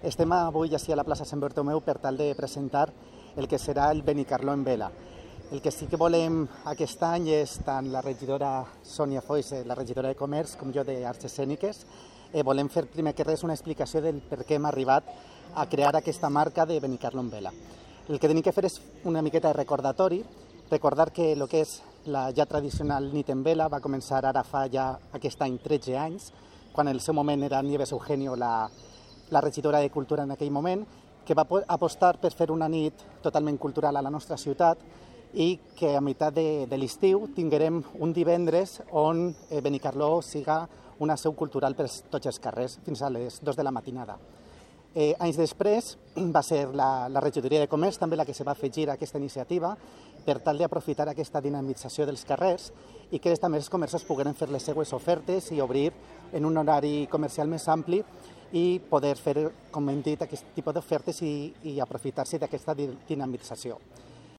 Estem avui ací a la plaça Sant Bartomeu per tal de presentar el que serà el Benicarló en vela. El que sí que volem aquest any és tant la regidora Sònia Foix, la regidora de Comerç, com jo d'Arts Escèniques. Volem fer primer que res una explicació del per què hem arribat a crear aquesta marca de Benicarló en vela. El que tenim que fer és una miqueta de recordatori, recordar que el que és la ja tradicional nit en vela va començar ara fa ja aquest any 13 anys, quan en el seu moment era Nieves Eugenio la regidora de Cultura en aquell moment, que va apostar per fer una nit totalment cultural a la nostra ciutat i que a meitat de l'estiu tinguérem un divendres on Benicarló siga una seu cultural per tots els carrers fins a les 2 de la matinada. Anys després va ser la regidoria de Comerç també la que se va afegir a aquesta iniciativa per tal d'aprofitar aquesta dinamització dels carrers i que també els comerços pogueren fer les seues ofertes i obrir en un horari comercial més ampli i poder fer, com hem dit, aquest tipus d'ofertes i aprofitar-se d'aquesta dinamització.